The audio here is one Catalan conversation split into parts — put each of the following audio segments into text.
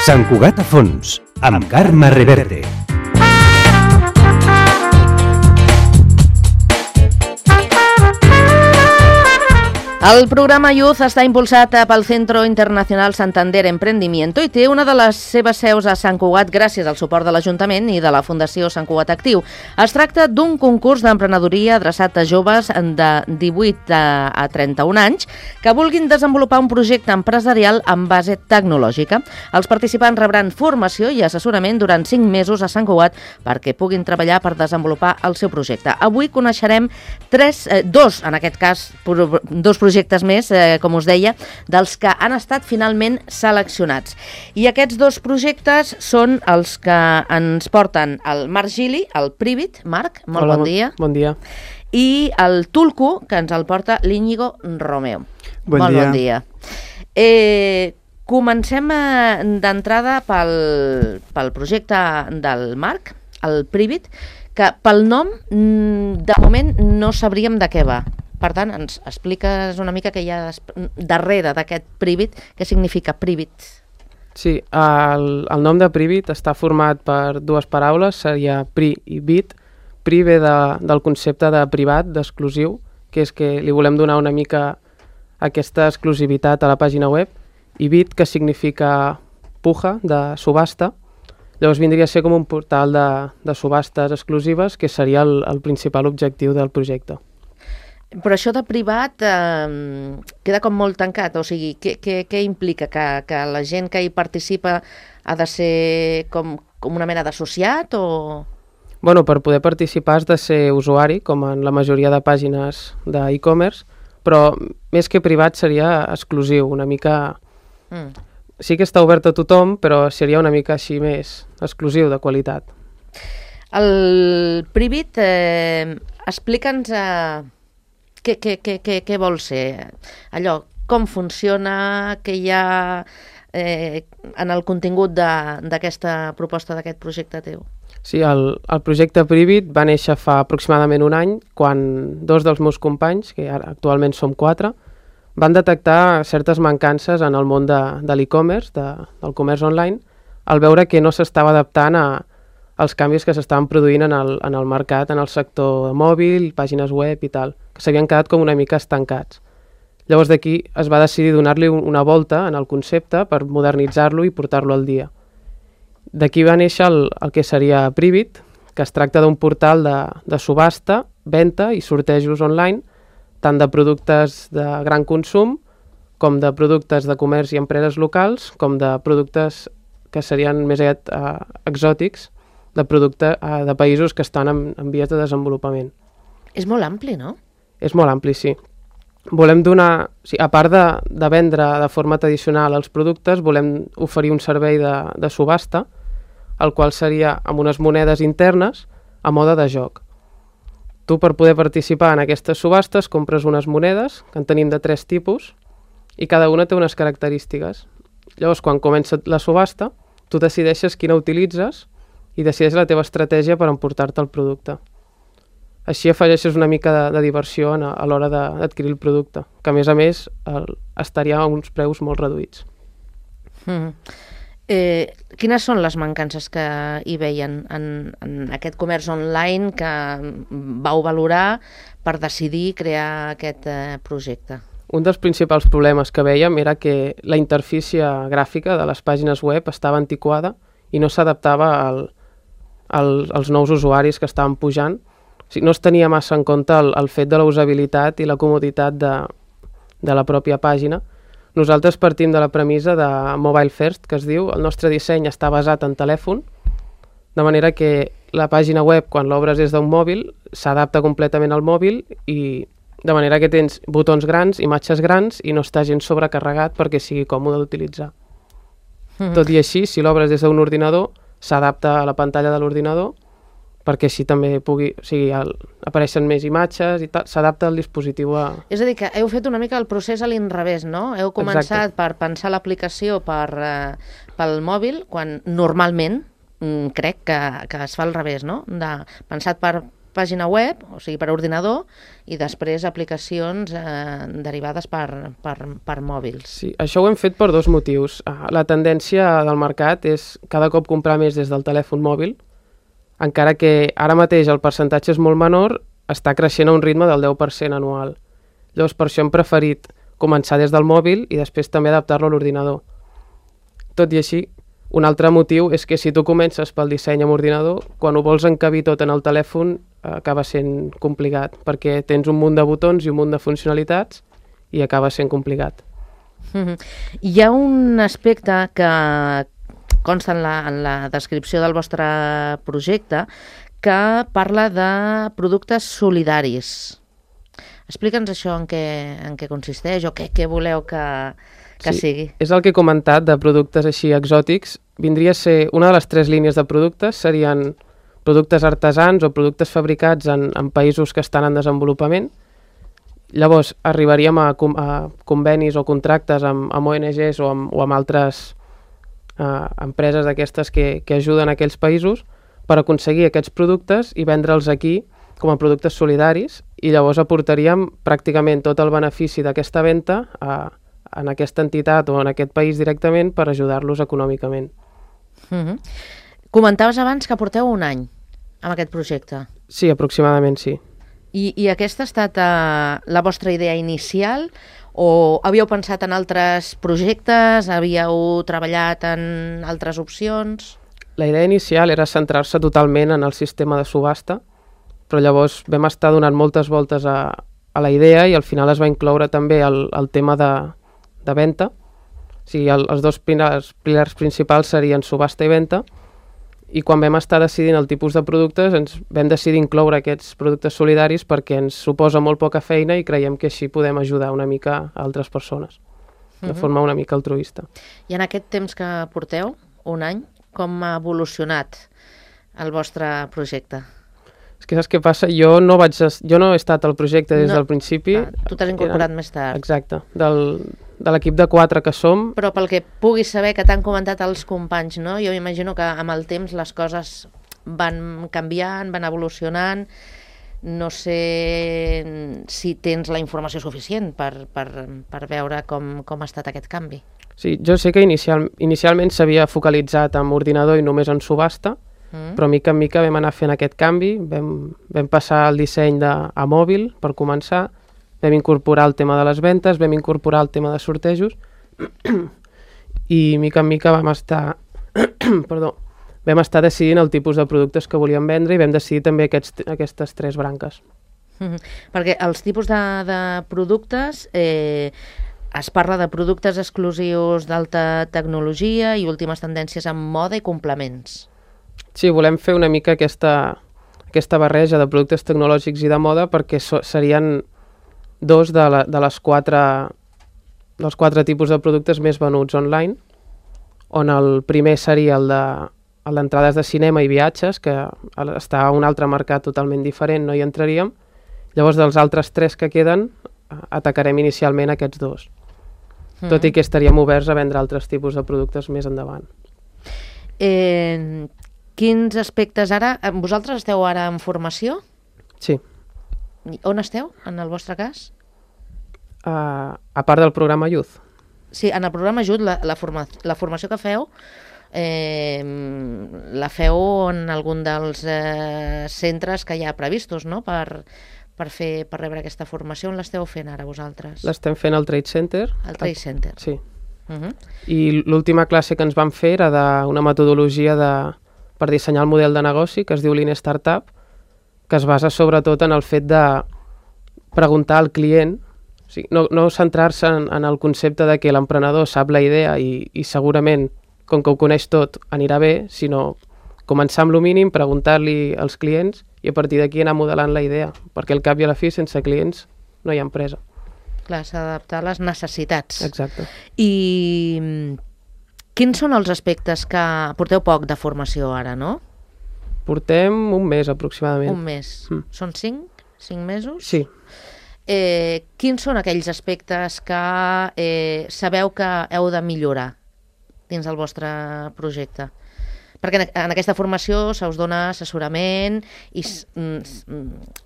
Sant Cugat a fons, amb Carme Reverte. El programa Youth està impulsat pel Centro Internacional Santander Emprendimiento i té una de les seves seus a Sant Cugat gràcies al suport de l'Ajuntament i de la Fundació Sant Cugat Actiu. Es tracta d'un concurs d'emprenedoria adreçat a joves de 18 a 31 anys que vulguin desenvolupar un projecte empresarial amb base tecnològica. Els participants rebran formació i assessorament durant 5 mesos a Sant Cugat perquè puguin treballar per desenvolupar el seu projecte. Avui coneixerem dos projectes més, com us deia, dels que han estat finalment seleccionats. I aquests 2 projectes són els que ens porten el Marc Gili, el Privit. Marc, molt bon dia. Bon dia. I el Tulku, que ens el porta l'Íñigo Romeo. Bon dia. Comencem d'entrada pel projecte del Marc, el Privit, que pel nom, de moment, no sabríem de què va. Per tant, ens expliques una mica què hi ha darrere d'aquest Privit, què significa Privit? Sí, el nom de Privit està format per 2 paraules, seria Pri i Bit. Pri ve del concepte de privat, d'exclusiu, que és que li volem donar una mica aquesta exclusivitat a la pàgina web, i Bit, que significa puja, de subhasta. Llavors vindria a ser com un portal de subhastes exclusives, que seria el principal objectiu del projecte. Però això de privat queda com molt tancat, o sigui, què implica? Que la gent que hi participa ha de ser com una mena d'associat o...? Bueno, per poder participar has de ser usuari, com en la majoria de pàgines d'e-commerce, però més que privat seria exclusiu, una mica... Sí que està obert a tothom, però seria una mica així més exclusiu, de qualitat. El Privit, explica'ns... Què vol ser? Allò, com funciona, què hi ha en el contingut d'aquesta proposta, d'aquest projecte teu? Sí, el projecte Privit va néixer fa aproximadament un any, quan 2 dels meus companys, que ara actualment som 4, van detectar certes mancances en el món de l'e-commerce, del comerç online, al veure que no s'estava adaptant als canvis que s'estaven produint en el mercat, en el sector mòbil, pàgines web i tal, que s'havien quedat com una mica estancats. Llavors d'aquí es va decidir donar-li una volta en el concepte per modernitzar-lo i portar-lo al dia. D'aquí va néixer el que seria Privit, que es tracta d'un portal de subhasta, venda i sortejos online, tant de productes de gran consum, com de productes de comerç i empreses locals, com de productes que serien més exòtics, de productes de països que estan en vies de desenvolupament. És molt ampli, no? És molt ampli, sí. Volem donar, a part de vendre de forma tradicional els productes, volem oferir un servei de subhasta, el qual seria amb unes monedes internes a mode de joc. Tu, per poder participar en aquestes subhastes, compres unes monedes, que en tenim de 3 tipus, i cada una té unes característiques. Llavors, quan comença la subhasta, tu decideixes quina utilitzes i decideixes la teva estratègia per emportar-te el producte. Així afegeixes una mica de diversió a l'hora d'adquirir el producte, que a més estaria a uns preus molt reduïts. Quines són les mancances que hi veien en aquest comerç online que vau valorar per decidir crear aquest projecte? Un dels principals problemes que vèiem era que la interfície gràfica de les pàgines web estava antiquada i no s'adaptava als nous usuaris que estaven pujant. No es tenia massa en compte el fet de la usabilitat i la comoditat de la pròpia pàgina. Nosaltres partim de la premissa de Mobile First, que es diu. El nostre disseny està basat en telèfon, de manera que la pàgina web, quan l'obres des d'un mòbil, s'adapta completament al mòbil i de manera que tens botons grans, imatges grans i no està gens sobrecarregat perquè sigui còmode d'utilitzar. Tot i així, si l'obres des d'un ordinador, s'adapta a la pantalla de l'ordinador perquè així també apareixen més imatges i tal, s'adapta al dispositiu a... És a dir, que heu fet una mica el procés a l'inrevés, no? Heu començat per pensar l'aplicació pel mòbil, quan normalment crec que es fa al revés, no? Pensat per pàgina web, o sigui, per ordinador, i després aplicacions derivades per mòbils. Sí, això ho hem fet per dos motius. La tendència del mercat és cada cop comprar més des del telèfon mòbil, encara que ara mateix el percentatge és molt menor, està creixent a un ritme del 10% anual. Llavors, per això hem preferit començar des del mòbil i després també adaptar-lo a l'ordinador. Tot i així, un altre motiu és que si tu comences pel disseny amb ordinador, quan ho vols encabir tot en el telèfon acaba sent complicat, perquè tens un munt de botons i un munt de funcionalitats i acaba sent complicat. Hi ha un aspecte que consta en la descripció del vostre projecte que parla de productes solidaris. Explica'ns això en què consisteix o què voleu que sigui. És el que he comentat de productes així exòtics. Vindria a ser una de les 3 línies de productes, serien productes artesans o productes fabricats en països que estan en desenvolupament. Llavors arribaríem a convenis o contractes amb ONGs o amb altres empreses d'aquestes que ajuden a aquells països per aconseguir aquests productes i vendre'ls aquí com a productes solidaris, i llavors aportaríem pràcticament tot el benefici d'aquesta venda en aquesta entitat o en aquest país directament per ajudar-los econòmicament. Comentaves abans que porteu un any amb aquest projecte. Sí, aproximadament sí. I aquesta ha estat la vostra idea inicial o havíeu pensat en altres projectes, havíeu treballat en altres opcions? La idea inicial era centrar-se totalment en el sistema de subhasta, però llavors vam estar donant moltes voltes a la idea i al final es va incloure també el tema de venda. O sigui, els dos pilars principals serien subhasta i venda, i quan vam estar decidint el tipus de productes ens vam decidir incloure aquests productes solidaris perquè ens suposa molt poca feina i creiem que així podem ajudar una mica a altres persones, de forma una mica altruista. I en aquest temps que porteu, un any, com ha evolucionat el vostre projecte? És que saps què passa? Jo no he estat al projecte des del principi. Tu t'has incorporat més tard. Exacte, de l'equip de 4 que som. Però pel que puguis saber que t'han comentat els companys, no? Jo m'imagino que amb el temps les coses van canviant, van evolucionant. No sé si tens la informació suficient per veure com ha estat aquest canvi. Sí, jo sé que inicialment s'havia focalitzat en ordinador i només en subhasta, però mica en mica vam anar fent aquest canvi, vam passar el disseny a mòbil per començar, vam incorporar el tema de les ventes, vam incorporar el tema de sortejos i mica en mica vam estar decidint el tipus de productes que volíem vendre i vam decidir també aquestes 3 branques. Perquè els tipus de productes, es parla de productes exclusius d'alta tecnologia i últimes tendències en moda i complements. Sí, volem fer una mica aquesta barreja de productes tecnològics i de moda perquè serien 2 dels 4 tipus de productes més venuts online, on el primer seria el d'entrades de cinema i viatges, que està a un altre mercat totalment diferent, no hi entraríem. Llavors, dels altres 3 que queden, atacarem inicialment aquests 2. Tot i que estaríem oberts a vendre altres tipus de productes més endavant. Quins aspectes ara... Vosaltres esteu ara en formació? Sí. On esteu, en el vostre cas? A part del programa Youth. Sí, en el programa Youth, la formació que feu, la feu en algun dels centres que hi ha previstos, no?, per rebre aquesta formació. On l'esteu fent ara vosaltres? L'estem fent al Trade Center. Al Trade Center. Sí. I l'última classe que ens van fer era d'una metodologia per dissenyar el model de negoci que es diu Lean Startup, que es basa sobretot en el fet de preguntar al client, o sigui, no centrar-se en el concepte de que l'emprenedor sap la idea i segurament, com que ho coneix tot, anirà bé, sinó començar amb el mínim, preguntar-li als clients i a partir d'aquí anar modelant la idea, perquè al cap i a la fi, sense clients, no hi ha empresa. Clar, s'ha d'adaptar a les necessitats. Exacte. I quins són els aspectes que... Porteu poc de formació ara, no? Portem un mes, aproximadament. Un mes. Són 5? 5 mesos? Sí. Quins són aquells aspectes que sabeu que heu de millorar dins del vostre projecte? Perquè en aquesta formació se us dona assessorament i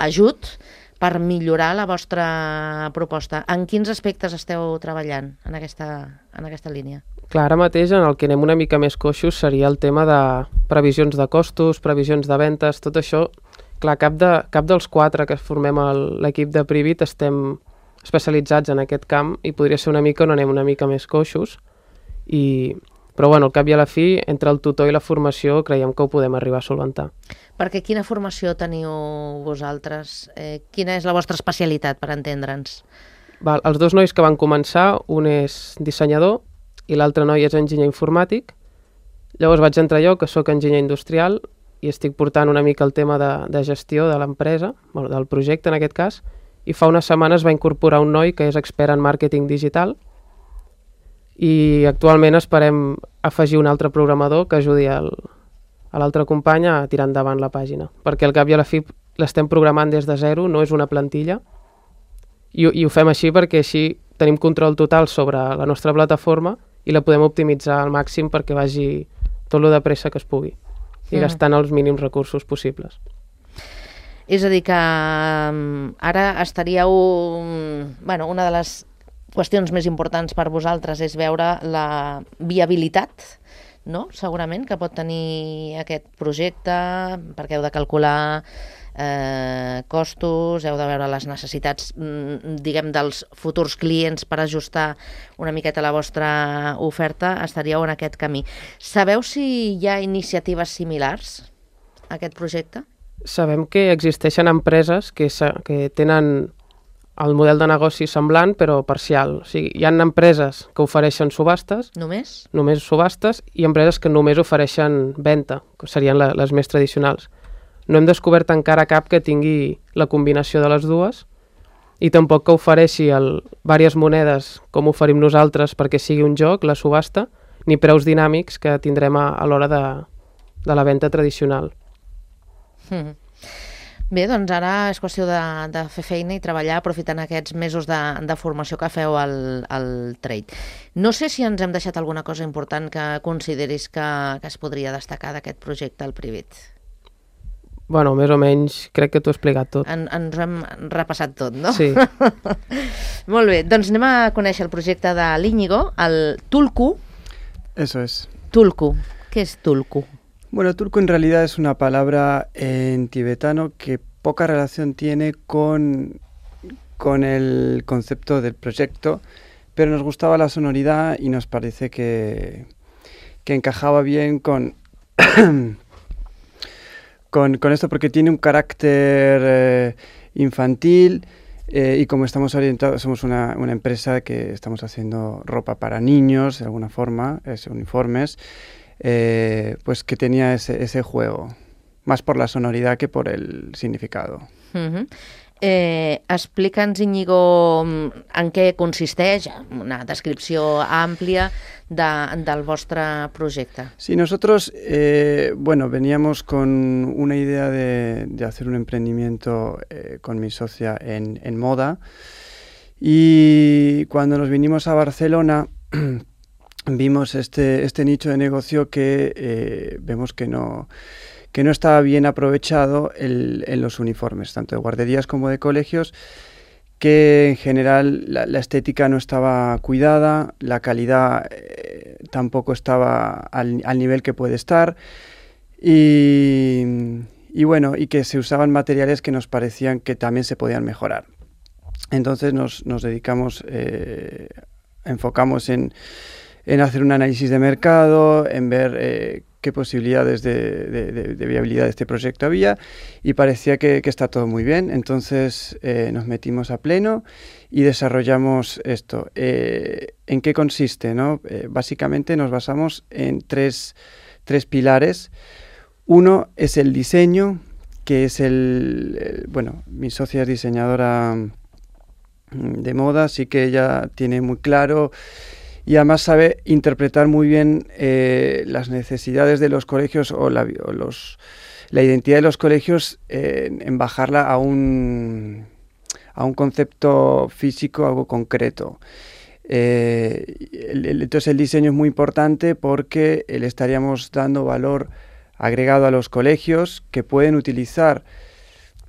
ajut per millorar la vostra proposta. En quins aspectes esteu treballant en aquesta línia? Clar, ara mateix en el que anem una mica més coixos seria el tema de previsions de costos, previsions de ventes, tot això. Clar, cap dels 4 que formem l'equip de Privit estem especialitzats en aquest camp i podria ser una mica on anem una mica més coixos. Però bueno, al cap i a la fi, entre el tutor i la formació creiem que ho podem arribar a solventar. Perquè quina formació teniu vosaltres? Quina és la vostra especialitat, per entendre'ns? Els 2 nois que van començar, un és dissenyador i l'altre noi és enginyer informàtic. Llavors vaig entrar jo, que sóc enginyer industrial, i estic portant una mica el tema de gestió de l'empresa, del projecte en aquest cas, i fa unes setmanes va incorporar un noi que és expert en màrqueting digital, i actualment esperem afegir un altre programador que ajudi a l'altre company a tirar endavant la pàgina, perquè al cap i a la fi l'estem programant des de zero, no és una plantilla, i ho fem així perquè així tenim control total sobre la nostra plataforma i la podem optimitzar al màxim perquè vagi tot lo de pressa que es pugui i gastant els mínims recursos possibles. És a dir que ara estaríeu... una de les qüestions més importants per vosaltres és veure la viabilitat, no? Segurament, que pot tenir aquest projecte, perquè heu de calcular costos, heu de veure les necessitats, diguem, dels futurs clients per ajustar una miqueta la vostra oferta. Estaríeu en aquest camí. Sabeu si hi ha iniciatives similars a aquest projecte? Sabem que existeixen empreses que tenen el model de negoci semblant, però parcial. O sigui, hi ha empreses que ofereixen subhastes. Només? Només subhastes, i empreses que només ofereixen venda, que serien les més tradicionals. No hem descobert encara cap que tingui la combinació de les dues, i tampoc que ofereixi diverses monedes, com oferim nosaltres, perquè sigui un joc, la subhasta, ni preus dinàmics que tindrem a l'hora de la venda tradicional. Bé, doncs ara és qüestió de fer feina i treballar aprofitant aquests mesos de formació que feu al Trade. No sé si ens hem deixat alguna cosa important que consideris que es podria destacar d'aquest projecte al Privit. Bueno, més o menys crec que t'ho he explicat tot. Ens ho hem repassat tot, no? Sí. Molt bé, doncs anem a conèixer el projecte de l'Íñigo, el Tulku. Eso es. Tulku. ¿Qué es Tulku? Bueno, Tulku en realidad es una palabra en tibetano que poca relación tiene con el concepto del proyecto, pero nos gustaba la sonoridad y nos parece que encajaba bien con esto, porque tiene un carácter infantil y como estamos orientados, somos una empresa que estamos haciendo ropa para niños, de alguna forma, uniformes, pues que tenía ese juego, más por la sonoridad que por el significado. Explica'ns, Íñigo, en què consisteix, una descripció àmplia del vostre projecte. Sí, nosotros, veníamos con una idea de hacer un emprendimiento con mi socia en moda, y cuando nos vinimos a Barcelona vimos este nicho de negocio que vemos que no estaba bien aprovechado en los uniformes, tanto de guarderías como de colegios, que en general la estética no estaba cuidada, la calidad tampoco estaba al nivel que puede estar, y que se usaban materiales que nos parecían que también se podían mejorar. Entonces nos dedicamos, enfocamos en hacer un análisis de mercado, en ver qué posibilidades de viabilidad de este proyecto había, y parecía que está todo muy bien. Entonces nos metimos a pleno y desarrollamos esto. ¿En qué consiste, no? Básicamente nos basamos en tres pilares. Uno es el diseño, que es mi socia es diseñadora de moda, así que ella tiene muy claro y además sabe interpretar muy bien las necesidades de los colegios o la identidad de los colegios, en bajarla a un concepto físico, algo concreto. Entonces el diseño es muy importante porque le estaríamos dando valor agregado a los colegios que pueden utilizar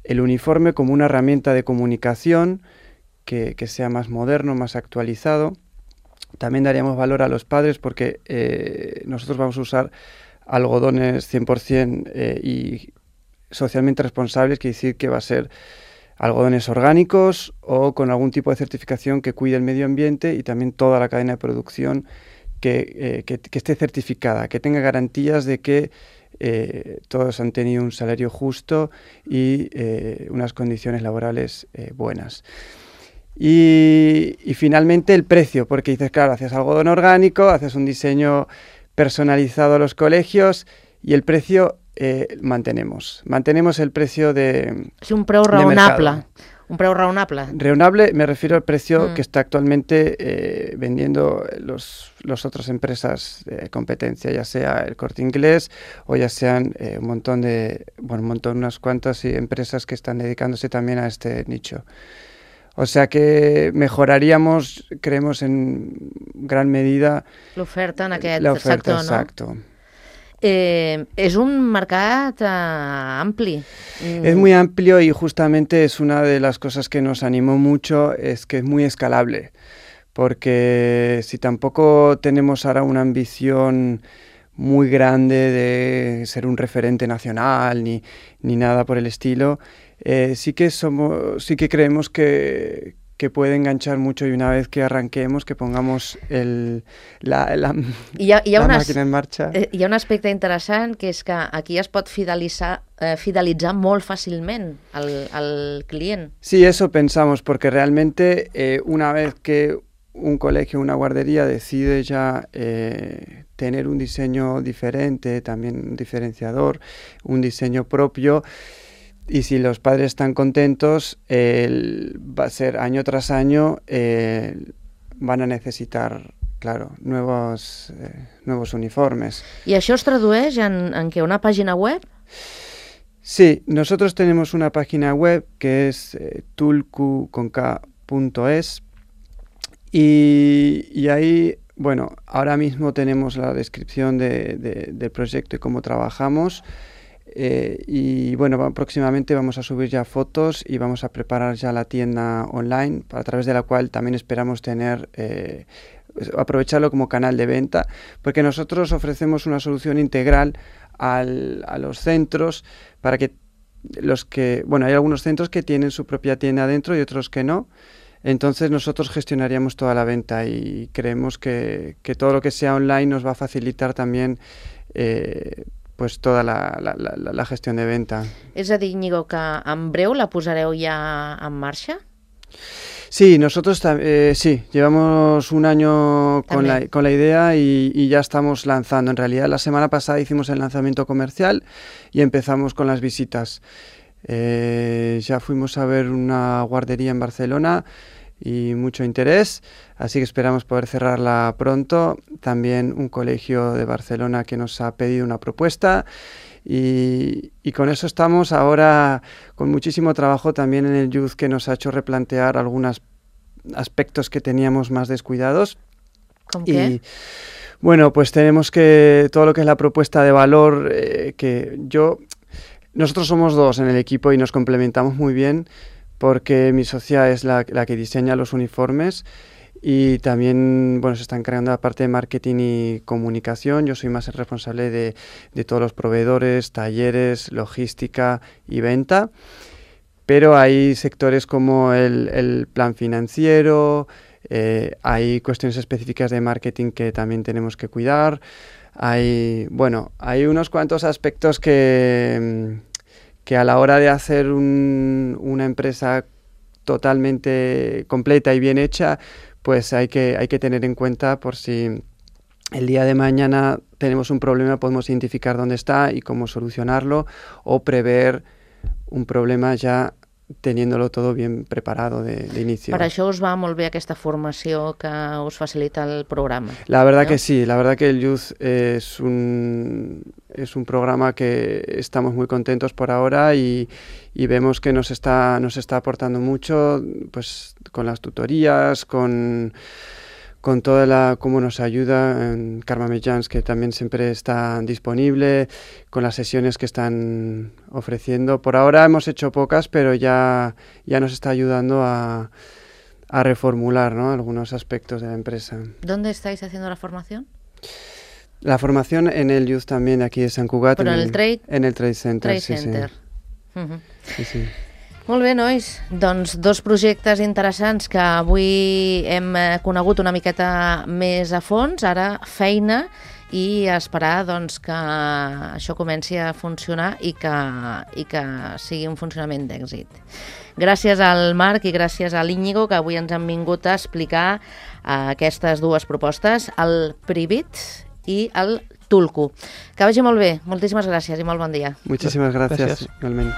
el uniforme como una herramienta de comunicación que sea más moderno, más actualizado. También daríamos valor a los padres porque nosotros vamos a usar algodones 100% y socialmente responsables, quiere decir que va a ser algodones orgánicos o con algún tipo de certificación que cuide el medio ambiente y también toda la cadena de producción que esté certificada, que tenga garantías de que todos han tenido un salario justo y unas condiciones laborales buenas. Y finalmente el precio, porque dices, claro, haces algodón orgánico, haces un diseño personalizado a los colegios y el precio mantenemos el precio de Sí, un preu raonable. Un preu raonable. Raonable, me refiero al precio que está actualmente vendiendo los otras empresas de competencia, ya sea el Corte Inglés o ya sean unas cuantas empresas que están dedicándose también a este nicho. O sea que mejoraríamos, creemos, en gran medida l'oferta en aquest l'oferta, sector, no? exacto. És un mercat ampli. Es muy amplio y justamente es una de las cosas que nos animó mucho, es que es muy escalable, porque si tampoco tenemos ahora una ambición muy grande de ser un referente nacional ni nada por el estilo, sí que creemos que puede enganchar mucho y una vez que arranquemos, que pongamos la màquina en marxa. Hi ha un aspecte interessant que és que aquí es pot fidelitzar molt fàcilment al client. Sí, eso pensamos, porque realmente una vez que un colegio, una guardería decide ya tener un diseño diferente, también un diferenciador, un diseño propio, y si los padres están contentos, va a ser año tras año, van a necesitar, claro, nuevos uniformes. I això es tradueix en què? Una pàgina web? Sí, nosotros tenemos una página web que es tulku.es y ahí, bueno, ahora mismo tenemos la descripción del proyecto y cómo trabajamos. Y bueno, próximamente vamos a subir ya fotos y vamos a preparar ya la tienda online, a través de la cual también esperamos tener aprovecharlo como canal de venta, porque nosotros ofrecemos una solución integral a los centros para que hay algunos centros que tienen su propia tienda dentro y otros que no. Entonces nosotros gestionaríamos toda la venta y creemos que todo lo que sea online nos va a facilitar también pues toda la gestión de venta. És a dir, Íñigo, que en breu la posareu ja en marxa? Sí, nosotros sí, llevamos un año con la idea y ya estamos lanzando. En realidad la semana pasada hicimos el lanzamiento comercial y empezamos con las visitas. Ya fuimos a ver una guardería en Barcelona y mucho interés, así que esperamos poder cerrarla pronto. También un colegio de Barcelona que nos ha pedido una propuesta y con eso estamos ahora con muchísimo trabajo también en el Youth, que nos ha hecho replantear algunos aspectos que teníamos más descuidados. ¿Con qué? Y bueno, pues tenemos que todo lo que es la propuesta de valor, nosotros somos dos en el equipo y nos complementamos muy bien, porque mi socia es la que diseña los uniformes y también se está encargando de la parte de marketing y comunicación. Yo soy más el responsable de todos los proveedores, talleres, logística y venta, pero hay sectores como el plan financiero, hay cuestiones específicas de marketing que también tenemos que cuidar. Hay unos cuantos aspectos que a la hora de hacer una empresa totalmente completa y bien hecha, pues hay que tener en cuenta, por si el día de mañana tenemos un problema, podemos identificar dónde está y cómo solucionarlo, o prever un problema ya teniéndolo todo bien preparado de inicio. Per això us va molt bé aquesta formació que us facilita el programa. La verdad que sí, la verdad que el Youth es un programa que estamos muy contentos por ahora y vemos que nos está aportando mucho, pues con las tutorías, con con toda cómo nos ayuda Carme Mitjans, que también siempre está disponible, con las sesiones que están ofreciendo. Por ahora hemos hecho pocas, pero ya nos está ayudando a reformular, ¿no?, algunos aspectos de la empresa. ¿Dónde estáis haciendo la formación? La formación en el Youth también, aquí de Sant Cugat. Però en el Trade? En el Trade Center, Trade sí. Center. Sí, sí. Molt bé, nois. Doncs 2 projectes interessants que avui hem conegut una miqueta més a fons, ara feina, i esperar doncs, que això comenci a funcionar i que sigui un funcionament d'èxit. Gràcies al Marc i gràcies a l'Íñigo, que avui ens han vingut a explicar aquestes 2 propostes, el Privit i el Tulku. Que vagi molt bé. Moltíssimes gràcies i molt bon dia. Muchísimas gracias. Igualmente.